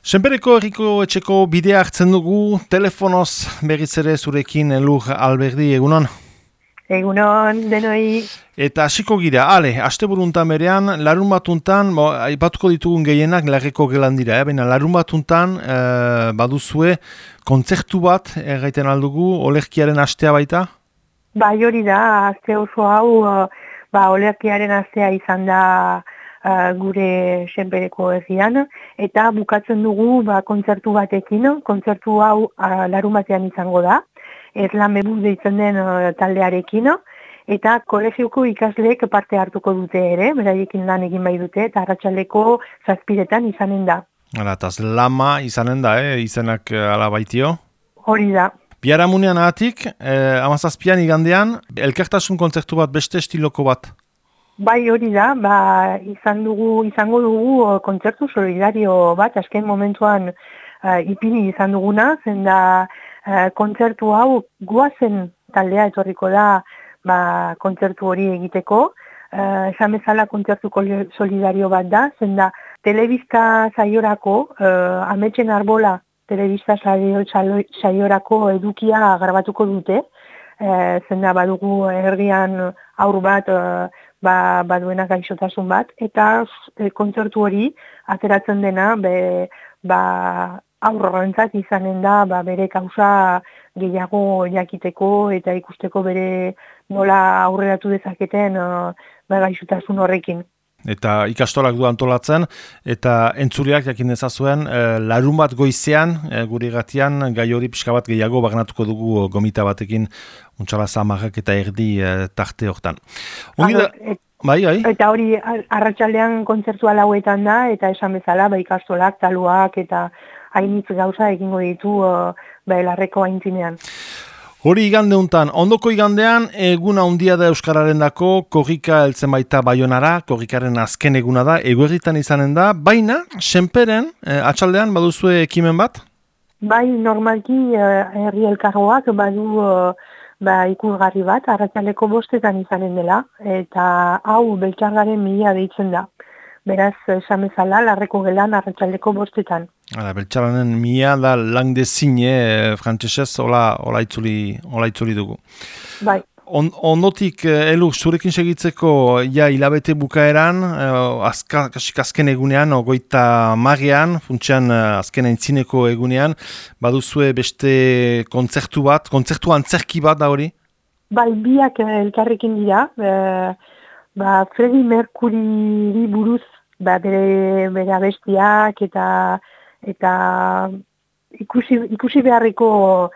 Senpereko herriko etxeko bidea hartzen dugu, telefonoz berriz ere zurekin Elur Alberdi, egunon? Egunon, denoi. Eta hasiko gira, asteburuntan berean, larun batuntan, aipatuko ditugun gehienak larreko gelan dira, baina larun batuntan baduzue kontzertu bat, erraiten aldugu, olerkiaren astea baita? Bai hori da, aste oso hau, olerkiaren astea izan da gure Senpereko herrian, eta bukatzen dugu kontzertu batekin, kontzertu hau larun batean izango da, Erlan Bebuz deitzen den taldearekin, eta kolegioko ikasleek parte hartuko dute ere, beraiekin lan egin bai dute, eta arratsaldeko 7:00 izanen da. Eta lama izanen da, izenak ala baitio? Hori da. Biharamunean ahatik, 17 igandean, elkartasun kontzertu bat, beste estiloko bat? Bai hori da, izango dugu kontzertu solidario bat, azken momentuan ipini izan duguna, zen da kontzertu hau guazen taldea etorriko da kontzertu hori egiteko. Esan bezala kontzertu solidario bat da, zen da telebista saiorako, Ametsen Arbola telebista saiorako edukia grabatuko dute, zen da badugu herrian aur bat baduena gaixotasun bat, eta kontzertu hori ateratzen dena aurrentzat izanen da bere kausa gehiago jakiteko eta ikusteko bere nola aurreratu dezaketen gaixotasun horrekin. Eta ikastolak du antolatzen, eta entzuleak jakin dezazuen, larun bat goizean, gure gatian, gai hori pixka bat gehiago bagnatuko dugu gomita batekin, untxala zamarrak eta erdi tarte hortan. Bai. Eta hori arratsaldean kontzertua lauetan da, eta esan bezala ikastolak, taluak eta hainitz gauza egingo ditu larreko aintzinean. Hori igande untan, ondoko igandean eguna handia da Euskararen dako, korrika heltzen baita Baionara, korrikaren azken eguna da, eguerritan izanen da, baina, Senperen, atxaldean baduzue ekimen bat? Bai, normalki herri elkargoak badu ikusgarri bat, arratsaldeko 5:00 izanen dela, eta hau Beltxargaren 1000 deitzen da. Beraz, esan bezala, larreko gelan arratsaldeko 5:00. Beltxargaren 1000 da langdezin, frantsesez, hola itzuli dugu. Bai. Ondotik, Elur, zurekin segitzeko hilabete bukaeran, azken egunean, 30 funtsean azken aintzineko egunean, baduzue beste kontzertu antzerki bat da hori? Bai, biak elkarrekin dira, Freddie Mercury buruz bere abestiak eta ikusi beharriko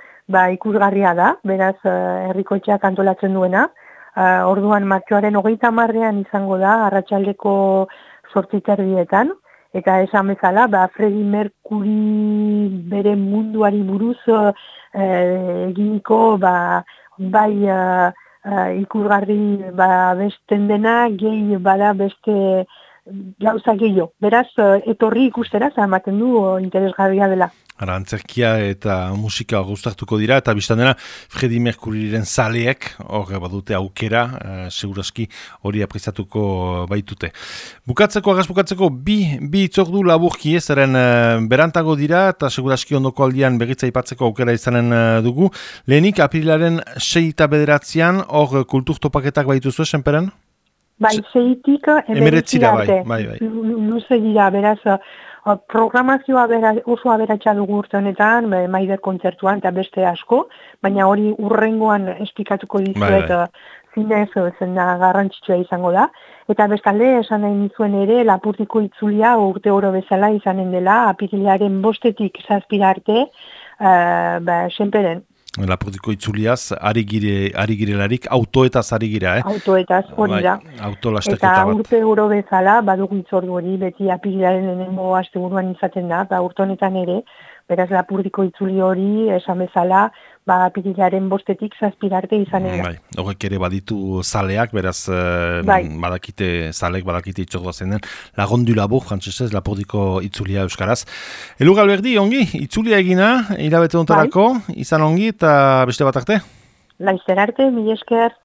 ikusgarria da, beraz herrikoetxeak antolatzen duena. Orduan martxoaren 30 izango da arratsaldeko 8:30, eta esan bezala Freddie Mercury bere munduari buruz eginiko ikusgarri besten dena, gehi bada beste gauza gehiago. Beraz, etorri ikustera, ematen du interesgarria dela. Antzerkia eta musika gustartuko dira, eta biztan dena Freddie Mercuryren zaleek, hor badute aukera, seguraski hori aprezatuko baitute. Bukatzeko, bi itzordu laburki zeren berantago dira, eta seguraski ondoko aldian berritza ipatzeko aukera izanen dugu. Lehenik, aprilaren 6 eta 9, hor kulturtopaketak baituzue, Senperen? Bai, 6-tik 19 arte. Bai. Luze dira, beraz, programazioa oso aberatsa dugu urte honetan, Maider kontzertuan eta beste asko, baina hori urrengoan esplikatuko dizuet zinez zen da garrantzitsua izango da. Eta bestalde, esan nahi nizuen ere, Lapurdiko itzulia urte oro bezala izanen dela, apirilaren 5-tik 7 arte, Senperen. Lapurdiko itzuliaz, ari girelarik, autoetaz ari gira, Autoetaz, hori da. Eta urte oro bezala, badugu itzordu hori, beti apirilaren lehenengo asteburuan izaten da, urte honetan ere, beraz Lapurdiko itzuli hori, esan bezala, apirilaren 5-tik 7 arte izanen da. Horrek ere baditu zaleak, beraz, badakite itzordua zen den, lagondu labur, frantsesez, Lapurdiko itzulia euskaraz. Elur Alberdi, ongi, itzulia egina, hilabete ontarako, izan ongi, eta beste bat arte? Laizter arte, mila esker.